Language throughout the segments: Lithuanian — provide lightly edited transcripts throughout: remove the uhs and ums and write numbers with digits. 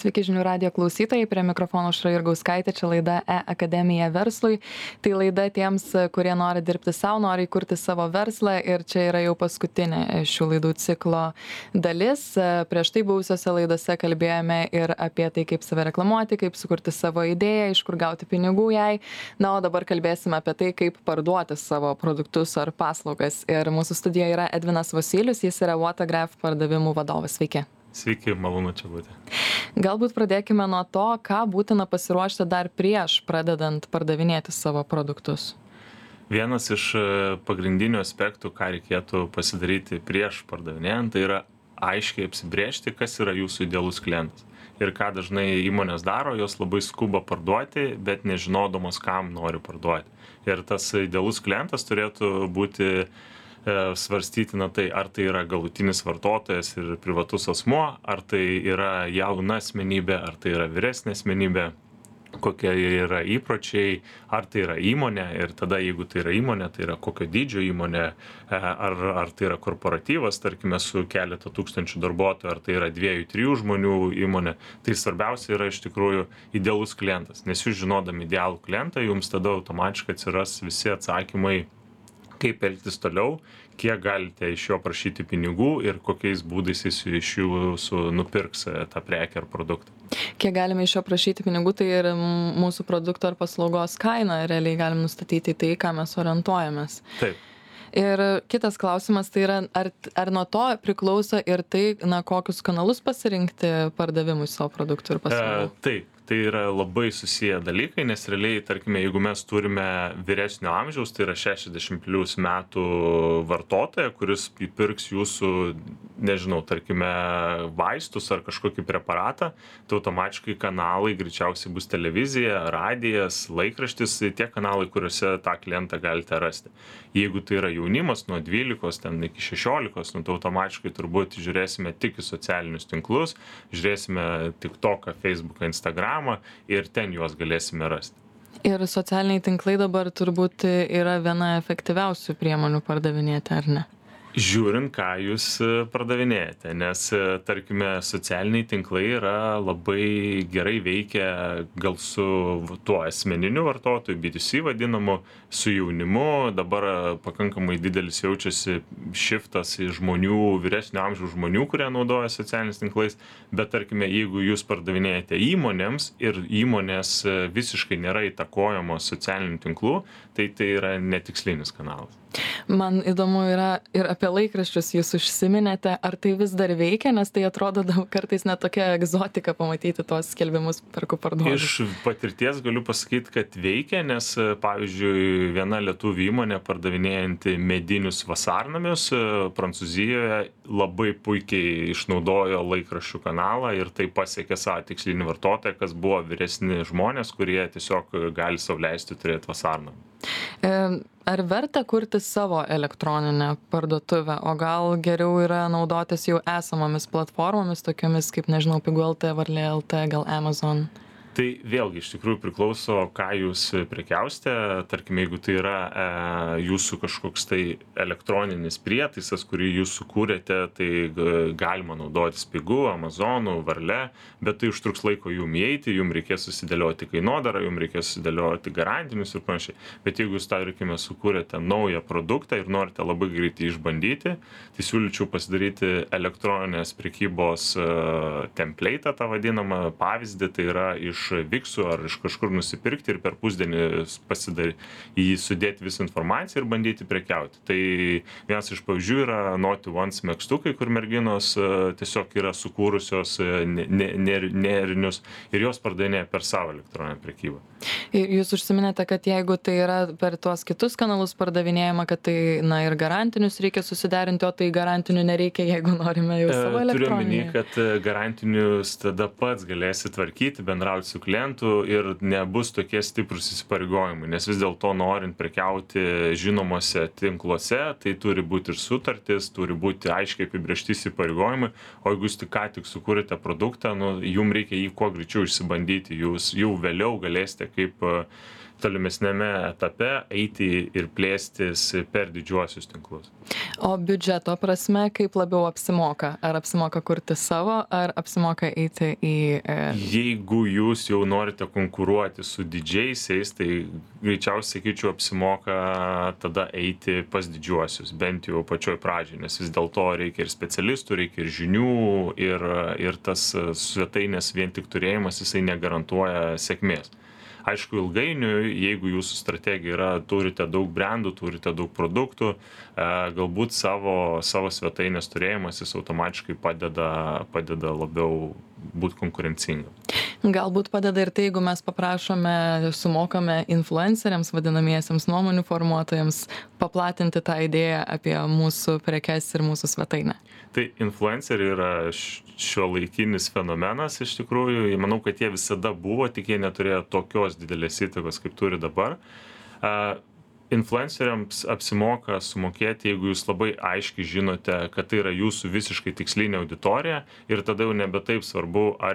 Sveiki žinių radijo klausytojai, prie mikrofono Aušra Jurgauskaitė, čia laida E-akademija verslui. Tai laida tiems, kurie nori dirbti savo, nori įkurti savo verslą ir čia yra jau paskutinė šių laidų ciklo dalis. Prieš tai buvusiose laidose kalbėjome ir apie tai, kaip save reklamuoti, kaip sukurti savo idėją, iš kur gauti pinigų jai. Na, o dabar kalbėsime apie tai, kaip parduoti savo produktus ar paslaugas. Ir mūsų studijoje yra Edvinas Vosylius, jis yra Watergraph pardavimų vadovas. Sveiki. Sveiki, malonu čia būti. Galbūt pradėkime nuo to, ką būtina pasiruošti dar prieš pradedant pardavinėti savo produktus. Vienas iš pagrindinių aspektų, ką reikėtų pasidaryti prieš pardavinėjant, tai yra aiškiai apsibrėžti, kas yra jūsų idealus klientas. Ir ką dažnai įmonės daro, jos labai skuba parduoti, bet nežinodamos, kam nori parduoti. Ir tas idealus klientas turėtų būti svarstytina tai, ar tai yra galutinis vartotojas ir privatus asmuo, ar tai yra jauna asmenybė, ar tai yra vyresnė asmenybė, kokie yra įpročiai, ar tai yra įmonė ir tada, jeigu tai yra įmonė, tai yra kokio dydžio įmonė, ar tai yra korporatyvas, tarkime, su keletą tūkstančių darbuotojų, ar tai yra 2-3 žmonių įmonė. Tai svarbiausia yra iš tikrųjų idealus klientas, nes jūs žinodami idealų klientą, jums tada automatiškai atsiras visi atsakymai, kaip elgtis toliau, kiek galite iš jo prašyti pinigų ir kokiais būdais jis iš jūsų nupirks tą prekę ar produktą. Kiek galime iš jo prašyti pinigų, tai ir mūsų produkto ar paslaugos kainą realiai galim nustatyti tai, ką mes orientuojamės. Taip. Ir kitas klausimas, tai yra, ar nuo to priklauso ir tai, kokius kanalus pasirinkti pardavimui savo produktų ir paslaugų? Taip. Tai yra labai susiję dalykai, nes realiai, tarkime, jeigu mes turime vyresnio amžiaus, tai yra 60+ metų vartotoją, kuris įpirks jūsų, nežinau, tarkime, vaistus ar kažkokį preparatą, tai automatiškai kanalai greičiausiai bus televizija, radijas, laikraštis, tie kanalai, kuriuose tą klientą galite rasti. Jeigu tai yra jaunimas nuo 12 ten iki 16, tai automatiškai turbūt žiūrėsime tik į socialinius tinklus, žiūrėsime TikToką, Facebooką, Instagramą, ir ten juos galėsime rasti. Ir socialiniai tinklai dabar turbūt yra viena efektyviausių priemonių pardavinėti, ar ne? Žiūrint, ką jūs pardavinėjate, nes, tarkime, socialiniai tinklai yra labai gerai veikia gal su tuo asmeniniu vartotoju, B2C vadinamu, su jaunimu. Dabar pakankamai didelis jaučiasi šiftas į žmonių, vyresnio amžiaus žmonių, kurie naudoja socialiniais tinklais, bet, tarkime, jeigu jūs pardavinėjate įmonėms ir įmonės visiškai nėra įtakojamos socialinių tinklų, tai yra netikslinis kanalas. Man įdomu yra ir apie laikraščius jūs užsiminėte, ar tai vis dar veikia, nes tai atrodo kartais net tokia egzotika pamatyti tos skelbimus perku parduodu. Iš patirties galiu pasakyti, kad veikia, nes, pavyzdžiui, viena lietuvių įmonė pardavinėjanti medinius vasarnamius Prancūzijoje labai puikiai išnaudojo laikraščių kanalą ir tai pasiekė savo tikslinį vartotoją, kas buvo vyresni žmonės, kurie tiesiog gali sau leisti turėti vasarnamį. Ar verta kurti savo elektroninę parduotuvę, o gal geriau yra naudotis jau esamomis platformomis, tokiomis kaip, nežinau, Pigu.lt, Varlė.lt, gal Amazon? Tai vėlgi iš tikrųjų priklauso, ką jūs prekiausite. Tarkime, jeigu tai yra jūsų kažkoks tai elektroninis prietaisas, kurį jūs sukūrėte, tai galima naudotis Pigu, Amazonu, Varle, bet tai užtruks laiko jum įeiti, jum reikės susidėlioti kainodarą, jum reikės susidėlioti garantinius ir panašiai. Bet jeigu jūs, tarkime, sukūrėte naują produktą ir norite labai greitai išbandyti, tai siūlyčiau pasidaryti elektroninės prekybos template'ą, tą vadinamą pavyzdį, tai yra iš Viksų ar iš kažkur nusipirkti ir per pusdienį į jį sudėti visą informaciją ir bandyti prekiauti. Tai vienas iš pavyzdžių yra Naughty Ones megztukai, kur merginos tiesiog yra sukūrusios nerinius ir jos pardavinėja per savo elektroninę prekybą. Jūs užsiminėte, kad jeigu tai yra per tuos kitus kanalus pardavinėjama, kad tai, ir garantinius reikia susiderinti, o tai garantinių nereikia, jeigu norime jau savo elektroninį. Turiu omeny, kad garantinius tada pats galėsi tvarkyti, bendrauti su klientu ir nebus tokie stiprus įsipareigojimai, nes vis dėlto norint prekiauti žinomose tinkluose, tai turi būti ir sutartis, turi būti aiškiai apibrėžti įsipareigojimai, o jeigu jūs ką tik sukūrėte produktą, jums reikia jį kuo greičiau išsibandyti, jūs jau vėliau galėsite kaip tolimesniame etape eiti ir plėstis per didžiuosius tinklus. O biudžeto prasme, kaip labiau apsimoka? Ar apsimoka kurti savo, ar apsimoka eiti į... Jeigu jūs jau norite konkuruoti su didžiaisiais, tai greičiausiai, sakyčiau, apsimoka tada eiti pas didžiuosius, bent jau pačioj pradžioj, nes vis dėlto reikia ir specialistų, reikia ir žinių, ir tas svetainės vien tik turėjimas, jisai negarantuoja sėkmės. Aišku, ilgainiui, jeigu jūsų strategija yra, turite daug brandų, turite daug produktų, galbūt savo svetainės turėjimas jis automatiškai padeda labiau būti konkurencingam. Galbūt padeda ir tai, jeigu mes paprašome, sumokame influenceriams, vadinamiesiems nuomonių formuotojams, paplatinti tą idėją apie mūsų prekes ir mūsų svetainę. Tai influenceriai yra šiuolaikinis fenomenas iš tikrųjų. Manau, kad jie visada buvo, tik jie neturėjo tokios didelės įtakos, kaip turi dabar. Influenceriams apsimoka sumokėti, jeigu jūs labai aiškiai žinote, kad tai yra jūsų visiškai tikslinė auditorija ir tada jau nebe taip svarbu, ar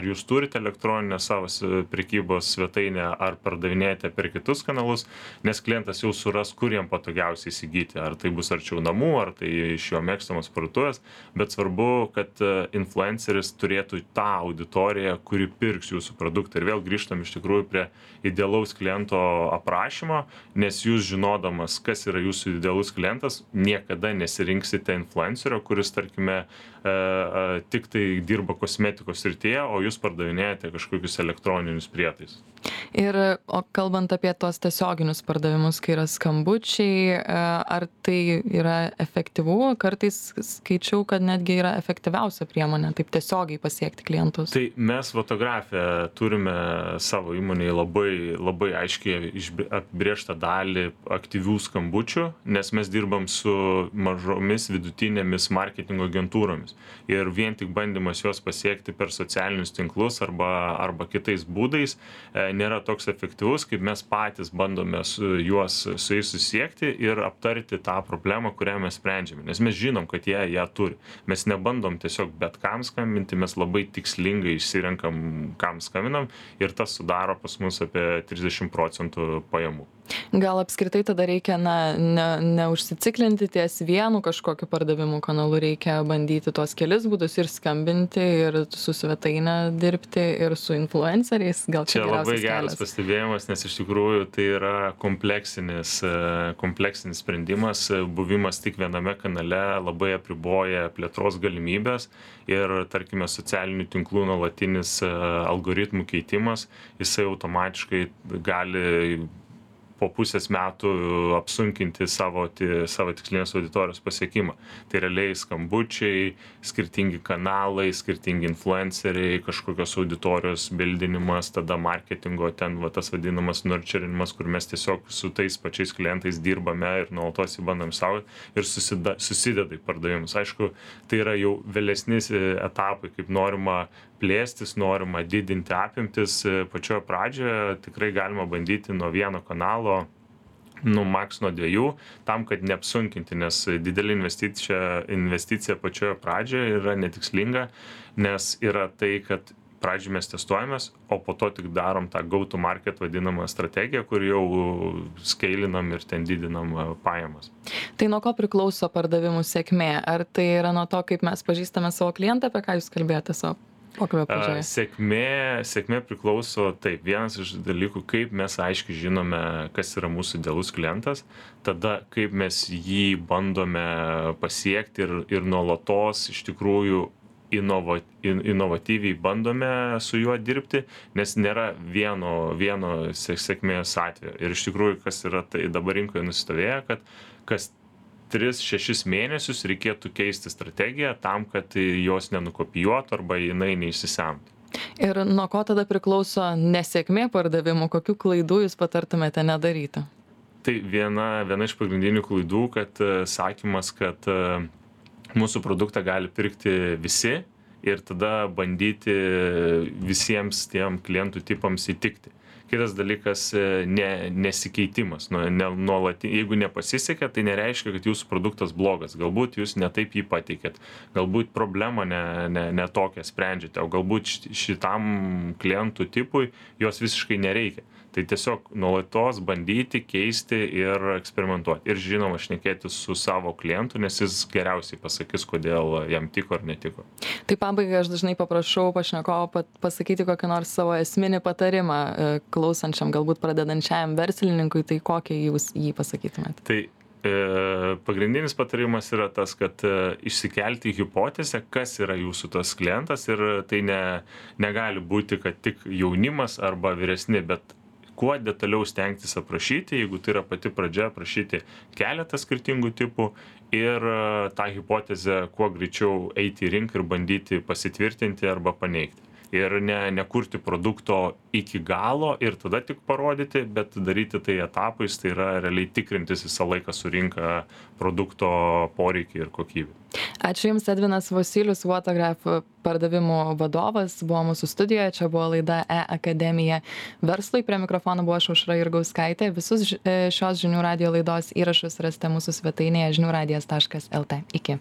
jūs turite elektroninę savo prekybos svetainę, ar pardavinėjate per kitus kanalus, nes klientas jau suras, kur jam patogiausiai įsigyti, ar tai bus arčiau namų, ar tai iš jo mėgstamos parduotuvės, bet svarbu, kad influenceris turėtų tą auditoriją, kuri pirks jūsų produktą. Ir vėl grįžtam iš tikrųjų prie idealaus kliento aprašymo, nes jūs žinodamas, kas yra jūsų idealus klientas, niekada nesirinksite influencerio, kuris, tarkime, tik tai dirba kosmetikos srityje, o jūs pardavinėjate kažkokius elektroninius prietaisus. Ir kalbant apie tuos tiesioginius pardavimus, kai yra skambučiai, ar tai yra efektyvu? Kartais skaičiau, kad netgi yra efektyviausia priemonė taip tiesiogiai pasiekti klientus. Tai mes fotografiją turime savo įmonėje labai aiškiai apibrėžtą dalį aktyvių skambučių, nes mes dirbam su mažomis vidutinėmis marketingo agentūromis. Ir vien tik bandymas juos pasiekti per socialinius tinklus arba kitais būdais nėra toks efektyvus, kaip mes patys bandome su jais susiekti ir aptarti tą problemą, kurią mes sprendžiame. Nes mes žinom, kad jie ją turi. Mes nebandom tiesiog bet kam skambinti, mes labai tikslingai išsirenkam, kam skambinam ir tas sudaro pas mus apie 30% pajamų. Gal apskritai tada reikia neužsiciklinti ties vienu kažkokiu pardavimų kanalu, reikia bandyti tuos kelis būdus ir skambinti, ir su svetaine dirbti, ir su influenceriais. Gal čia labai geras pastebėjimas, nes iš tikrųjų tai yra kompleksinis sprendimas. Buvimas tik viename kanale labai apriboja plėtros galimybės ir, tarkime, socialinių tinklų nuolatinis algoritmų keitimas, jisai automatiškai gali po pusės metų apsunkinti savo tikslinės auditorijos pasiekimą. Tai realiai skambučiai, skirtingi kanalai, skirtingi influenceriai, kažkokios auditorijos bildinimas, tada marketingo tas vadinamas nurturinimas, kur mes tiesiog su tais pačiais klientais dirbame ir nuolatos jį bandom saugoti ir susideda į pardavimus. Aišku, tai yra jau vėlesni etapai, kaip norima plėstis, norima didinti apimtis. Pačioje pradžioje tikrai galima bandyti nuo vieno kanalo, maks nuo 2, tam, kad neapsunkinti, nes didelė investicija pačioje pradžioje yra netikslinga, nes yra tai, kad pradžioj mes testuojamės, o po to tik darom tą go to market vadinamą strategiją, kur jau skeilinam ir ten didinam pajamas. Tai nuo ko priklauso pardavimų sėkmė? Ar tai yra nuo to, kaip mes pažįstame savo klientą, apie ką jūs kalbėjote savo pokalbio pradžioje? Sėkmė priklauso, taip, vienas iš dalykų, kaip mes aiškiai žinome, kas yra mūsų idealus klientas, tada kaip mes jį bandome pasiekti ir nuolatos iš tikrųjų inovatyviai bandome su juo dirbti, nes nėra vieno sėkmės atvejo. Ir iš tikrųjų, kas yra tai dabar rinkoje nusistovėję, kad kas 3-6 mėnesius reikėtų keisti strategiją tam, kad jos nenukopijuotų arba jinai neįsisemtų. Ir nuo ko tada priklauso nesėkmė pardavimų, kokių klaidų jūs patartumėte nedaryti? Tai viena iš pagrindinių klaidų, kad sakymas, kad mūsų produktą gali pirkti visi ir tada bandyti visiems tiem klientų tipams įtikti. Kitas dalykas nesikeitimas. Jeigu nepasisekė, tai nereiškia, kad jūsų produktas blogas. Galbūt jūs ne taip jį pateikėt. Galbūt problemą ne tokią sprendžiate, o galbūt šitam klientų tipui jos visiškai nereikia. Tai tiesiog nuolatos bandyti, keisti ir eksperimentuoti. Ir žinoma, šnekėti su savo klientu, nes jis geriausiai pasakys, kodėl jam tiko ar netiko. Tai pabaigai aš dažnai paprašau pašnekovo pasakyti kokį nors savo esminį patarimą klausančiam, galbūt pradedančiajam verslininkui, tai kokį jūs jį pasakytumėte? Tai pagrindinis patarimas yra tas, kad išsikelti hipotezę, kas yra jūsų tas klientas ir tai negali būti, kad tik jaunimas arba vyresni, bet kuo detaliau stengtis aprašyti, jeigu tai yra pati pradžia, aprašyti keletą skirtingų tipų ir tą hipotezę kuo greičiau eiti į rinką ir bandyti pasitvirtinti arba paneigti. Ir nekurti produkto iki galo ir tada tik parodyti, bet daryti tai etapais, tai yra realiai tikrintis visą laiką su rinka produkto poreikį ir kokybę. Ačiū Jums, Edvinas Vosylius, Watergraph pardavimų vadovas, buvo mūsų studijoje, čia buvo laida E-akademija verslui, prie mikrofono buvo Aušra Jurgauskaitė. Visus šios žinių radijo laidos įrašus rasite mūsų svetainėje žiniųradijas.lt. Iki.